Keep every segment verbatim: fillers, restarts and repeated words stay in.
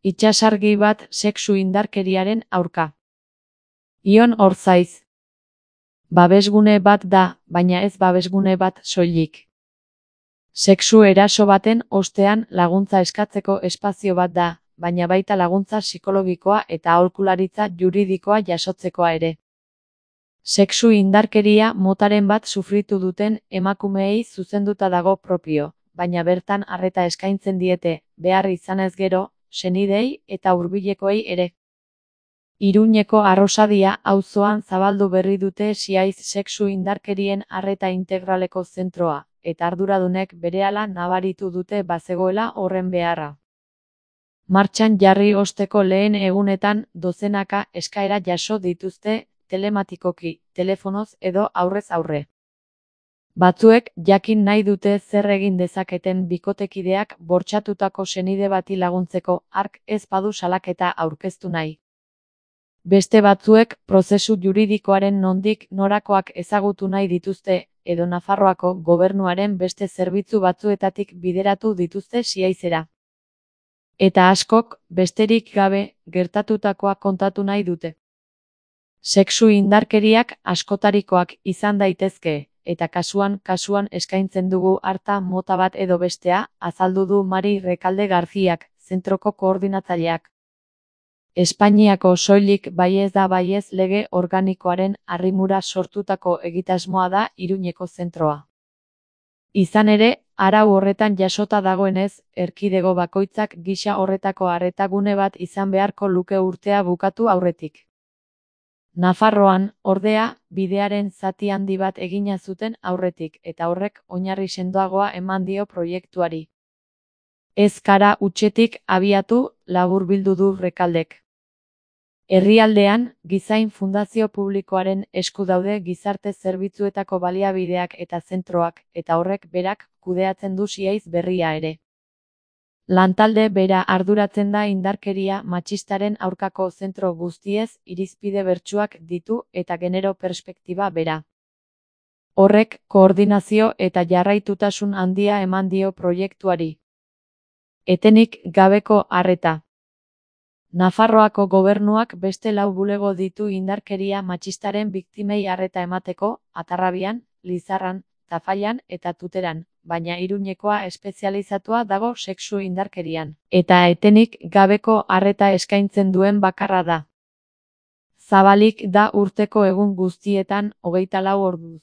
Itsasargi bat sexu indarkeriaren aurka. Ion Orzaiz. Babesgune bat da, baina ez babesgune bat soilik. Sexu eraso baten ostean laguntza eskatzeko espazio bat da, baina baita laguntza psikologikoa eta aholkularitza juridikoa jasotzekoa ere. Sexu indarkeria motaren bat sufritu duten emakumeei zuzenduta dago propio, baina bertan arreta eskaintzen diete, behar izanez gero, senidei eta hurbilekoei ere. Iruñeko Arrosadia auzoan zabaldu berri dute Siaiz sexu indarkerien arreta integraleko zentroa, eta arduradunek berehala nabaritu dute bazegoela horren beharra. Martxan jarri osteko lehen egunetan dozenaka eskaera jaso dituzte telematikoki, telefonoz edo aurrez aurre. Batzuek jakin nahi dute zer egin dezaketen bikotekideak bortxatutako senide bati laguntzeko hark ez badu salaketa aurkeztu nahi. Beste batzuek prozesu juridikoaren nondik norakoak ezagutu nahi dituzte, edo Nafarroako gobernuaren beste zerbitzu batzuetatik bideratu dituzte Siaizera. Eta askok, besterik gabe, gertatutakoa kontatu nahi dute. Sexu indarkeriak askotarikoak izan daitezke, eta kasuan kasuan eskaintzen dugu arta mota bat edo bestea, azaldu du Mari Rekalde Garziak, zentroko koordinatzaileak. Espainiako soilik baiez da baiez lege organikoaren arrimura sortutako egitasmoa da Iruñeko zentroa. Izan ere, arau horretan jasota dagoenez, erkidego bakoitzak gisa horretako arretagune bat izan beharko luke urtea bukatu aurretik. Nafarroan, ordea, bidearen zati handi bat egina zuten aurretik, eta horrek oinarri sendoagoa eman dio proiektuari. Ez kara hutsetik abiatu, laburbildu du Rekaldek. Herrialdean, Gizain Fundazio Publikoaren esku daude gizarte zerbitzuetako baliabideak eta zentroak, eta horrek berak kudeatzen du Siaiz berria ere. Lantalde bera arduratzen da indarkeria matxistaren aurkako zentro guztiez irizpide bertsuak ditu eta genero perspektiba bera. Horrek koordinazio eta jarraitutasun handia eman dio proiektuari. Etenik gabeko arreta. Nafarroako gobernuak beste lau bulego ditu indarkeria matxistaren biktimei arreta emateko, Atarrabian, Lizarran, Tafallan eta Tuteran, baina Iruñekoa espezializatua dago sexu indarkerian, eta etenik gabeko arreta eskaintzen duen bakarra da. Zabalik da urteko egun guztietan hogeita lau orduz.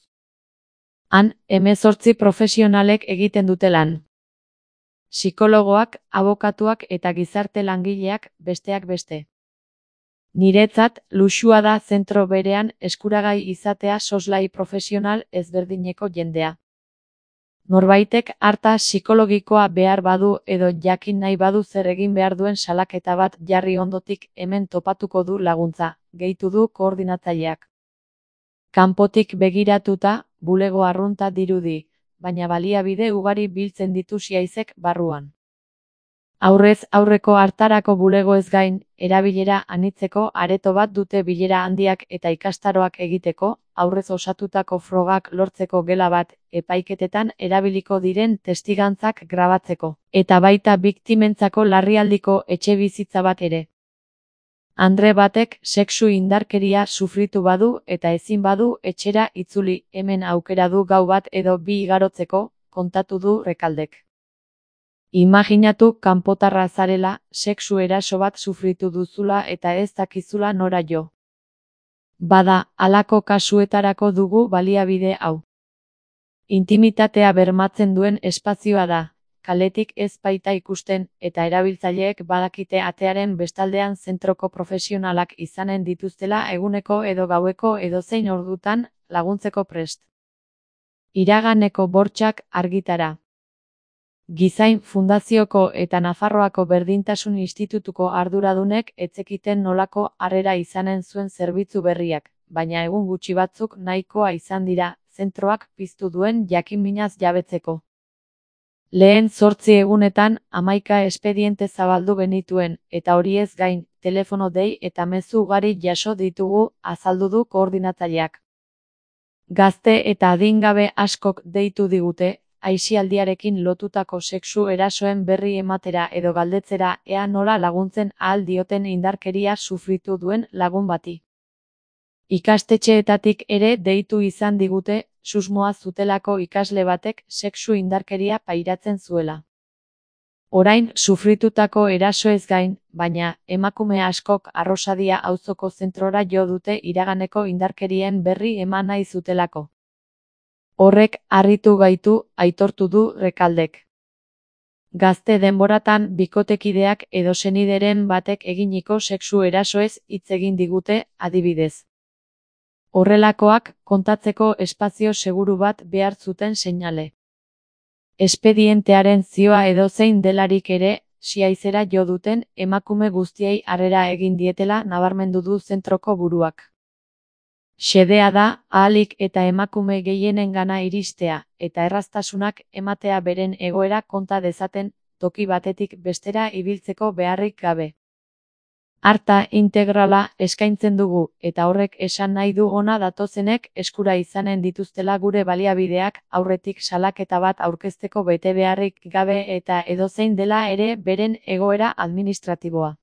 Han, hemezortzi profesionalek egiten dute lan. Psikologoak, abokatuak eta gizarte langileak besteak beste. Niretzat, luxua da zentro berean eskuragai izatea soslai profesional ezberdineko jendea. Norbaitek arta psikologikoa behar badu edo jakin nahi badu zer egin behar duen salaketa bat jarri ondotik hemen topatuko du laguntza, gehitu du koordinatzaileak. Kanpotik begiratuta, bulego arrunta dirudi, baina baliabide ugari biltzen ditu Siaizek barruan. Aurrez aurreko hartarako bulegoez gain, erabilera anitzeko areto bat dute bilera handiak eta ikastaroak egiteko, aurrez osatutako frogak lortzeko gela bat, epaiketetan erabiliko diren testigantzak grabatzeko, eta baita biktimentzako larrialdiko etxebizitza bat ere. Andre batek sexu indarkeria sufritu badu eta ezin badu etxera itzuli, hemen aukera du gau bat edo bi igarotzeko, kontatu du Rekaldek. Imaginatu kanpotarra zarela, sexu eraso bat sufritu duzula eta ez dakizula nora jo. Bada, halako kasuetarako dugu baliabide hau. Intimitatea bermatzen duen espazioa da. Kaletik ez baita ikusten, eta erabiltzaileek badakite atearen bestaldean zentroko profesionalak izanen dituztela eguneko edo gaueko edozein ordutan laguntzeko prest. Iraganeko bortxak argitara. Gizain Fundazioko eta Nafarroako Berdintasun Institutuko arduradunek etzekiten nolako harrera izanen zuen zerbitzu berriak, baina egun gutxi batzuk nahikoa izan dira, zentroak piztu duen jakinminaz jabetzeko. Lehen zortzi egunetan, hamaika espediente zabaldu genituen, eta horiez gain, telefono dei eta mezu ugari jaso ditugu, azaldu du koordinatzaileak. Gazte eta adingabe askok deitu digute, aisialdiarekin lotutako sexu erasoen berri ematera edo galdetzera ea nola laguntzen ahal dioten indarkeria sufritu duen lagun bati. Ikastetxeetatik ere deitu izan digute, susmoa zutelako ikasle batek sexu indarkeria pairatzen zuela. Orain sufritutako erasoez gain, baina, emakume askok Arrosadia auzoko zentrora jo dute iraganeko indarkerien berri eman nahi zutelako. Horrek harritu gaitu, aitortu du Rekaldek. Gazte denboratan bikotekideak edo senideren batek eginiko sexu erasoez hitz egin digute, adibidez. Horrelakoak kontatzeko espazio seguru bat behar zuten seinale. Espedientearen zioa edozein delarik ere, siaizera jo duten emakume guztiei harrera egin dietela nabarmendu du zentroko buruak. Xedea da, ahalik eta emakume gehienengana iristea, eta erraztasunak ematea beren egoera konta dezaten, toki batetik bestera ibiltzeko beharrik gabe. Arta integrala eskaintzen dugu, eta horrek esan nahi du hona datozenek eskura izanen dituztela gure baliabideak aurretik salaketa bat aurkezteko betebeharrik gabe eta edozein dela ere beren egoera administratiboa.